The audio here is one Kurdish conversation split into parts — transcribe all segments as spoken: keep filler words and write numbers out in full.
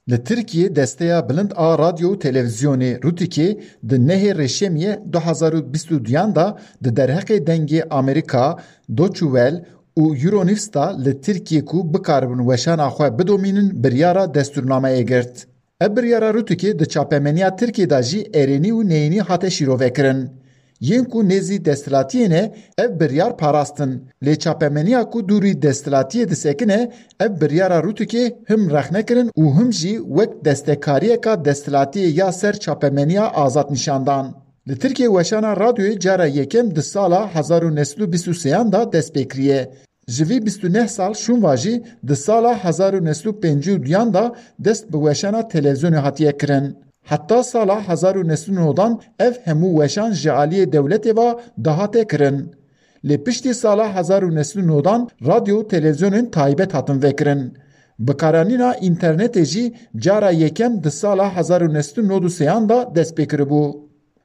Li Tirkiyê Desteya Bilind a Radyo û Televîzyonê, Rûtîkê, di nehê Rêşemiyê du hezar û bîst û duyan de di derheqê Dengê Amerîka, Deutsche Welle û Euronews de li Tirkiyê ku bikaribin weşana xwe bidomînin, biryara destûrnameyê girt. Ev biryara Rûtîkê di çapemeniya Tirkiyê de jî erênî û neyînî hate şîrovekirin. Yên ku nêzî desthilatiyê ne, ev biryar parastin. Lê çapemeniya ku dûrî desthilatiyê disekine, ev biryara Rûtîkê him rexne kirin û him jî wek destekariyeka desthilatiyê ya ser çapemeniya azad nîşan dan. Li Tirkiyê weşana radyoyê cara yekem di sala hezar û neh sed û bîst û sêyan de dest pê kiriye. Ji vî bîst û neh sal şûn ve jî di sala hezar û neh sed û pêncî û duyan de dest bi weşana televîzyonê hatiye kirin. Heta sala hezar û neh sed û nodan ev hemû weşan ji aliyê dewletê ve dihate kirin. Lê piştî sala hezar û neh sed û nodan radyo û televîzyonên taybet hatin vekirin. Bikaranîna înternetê jî cara yekem di sala hezar û neh sed û nod û sêyan de dest pê kiribû.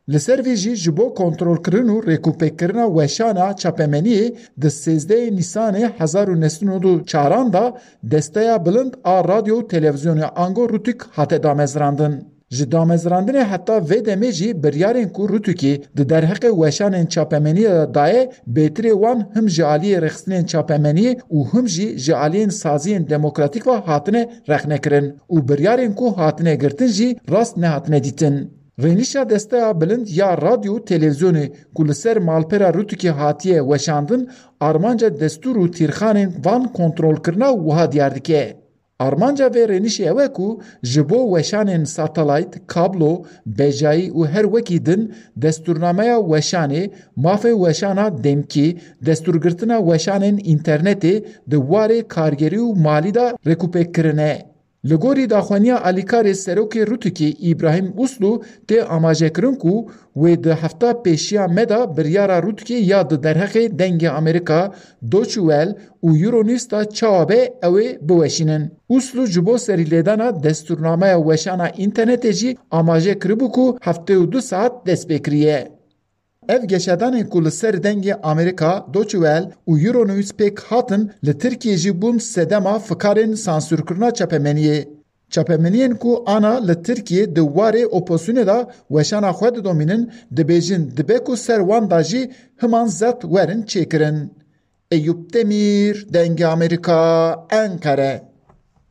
Li ser vê jî ji bo kontrolkirin û rêkûpêkkirina weşana çapemeniyê di sêzdehê Nîsanê hezar û neh sed û nod û çaran de Desteya Bilind a Radyo û Televîzyonê ango Rûtîk hate damezrandin. Ji damezrandinê heta vê demê jî biryarên ku Rûtîkê di derheqê weşanên çapemeniyê de daye, bêtirê wan him ji aliyê rêxistinên çapemeniyê û him jî ji aliyên saziyên demokratîk ve hatine rexnekirin û biryarên ku hatine girtin jî rast nehatine dîtin. Rênişa Desteya Bilind ya Radyo û Televîzyonê ku li ser malpera Rûtîkê hatiye weşandin, armanca destûr û tîrxanên van kontrolkirina wiha diyar dike. Armanca vê rênişê ew e ku ji bo weşanên satelayt, kablo, bejayî û her wekî din destûrnameya weşanê, mafê weşana demkî, destûrgirtina weşanên înternetê di warê kargerî û malî de rêkûpêk kirine. Li gorî daxwaniya alîkarê serokê Rûtîkê Îbrahîm Uslu tê amajekirin ku wê di hefta pêşiya me de biryara Rûtîkê ya di derheqê Dengê Amerîka, Deutsche Welle û Euronews de çawa be ew ê biweşînin. Uslu ji bo serîlêdana destûrnameya weşana înternetê jî amaje kiribû ku heftê û du saet dest pê kiriye. Ev geşedanên ku li ser Dengê Amerîka, Deutsche Welle û Euronews pêk hatin, li Tirkiyê jî bûn sedema fikarên sansûrkirina çapemeniyê. Çapemeniyên ku ana li Tirkiyê di warê opozisyonê de weşana xwe didomînin, dibêjin dibe ku ser wan de jî himan zeft werin çêkirin. Eyûp Demîr, Dengê Amerîka, Enqere.